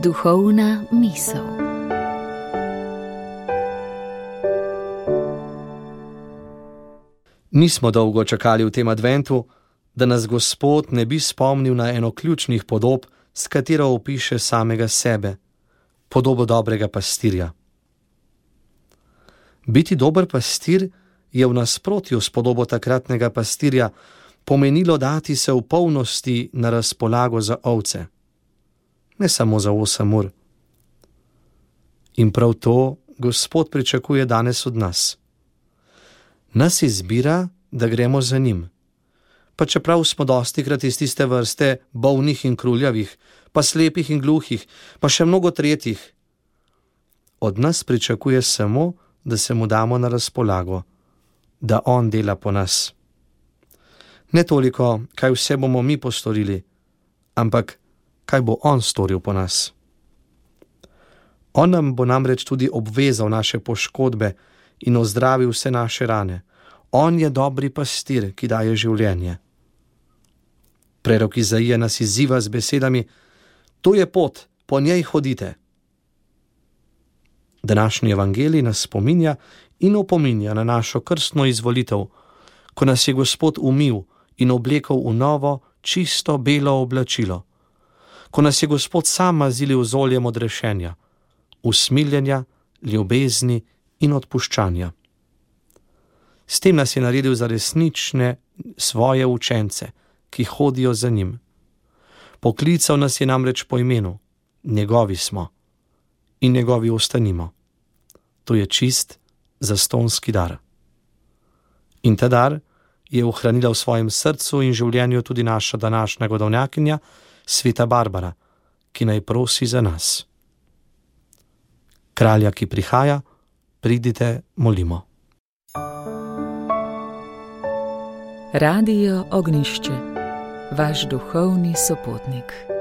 Duhovna misel. Nismo dolgo čakali v tem adventu, da nas Gospod ne bi spomnil na eno ključnih podob, s katero opiše samega sebe, podobo dobrega pastirja. Biti dober pastir je v nasprotju s podobo takratnega pastirja pomenilo dati se v polnosti na razpolago za ovce. Ne samo za 8 ur. In prav to Gospod pričakuje danes od nas. Nas izbira, da gremo za njim. Pa čeprav smo dostikrat iz tiste vrste bolnih in kruljavih, pa slepih in gluhih, pa še mnogo tretjih. Od nas pričakuje samo, da se mu damo na razpolago, da on dela po nas. Ne toliko, kaj vse bomo mi postorili, ampak kaj bo on storil po nas. On nam bo namreč tudi obvezal naše poškodbe in ozdravil vse naše rane. On je dobri pastir, ki daje življenje. Prerok Izaija nas izziva z besedami: to je pot, po njej hodite. Današnji evangelij nas spominja in opominja na našo krstno izvolitev, ko nas je Gospod umil in oblekel v novo, čisto belo oblačilo, ko nas je Gospod sam mazilil z oljem odrešenja, usmiljenja, ljubezni in odpuščanja. S tem nas je naredil za resnične svoje učence, ki hodijo za njim. Poklical nas je namreč po imenu, njegovi smo in njegovi ostanimo. To je čist zastonski dar. In ta dar je ohranila v svojem srcu in življenju tudi naša današnja godovnjakinja, sveta Barbara, ki naj prosi za nas. Kralja, ki prihaja, pridite, molimo. Radio Ognjišče, vaš duhovni sopotnik.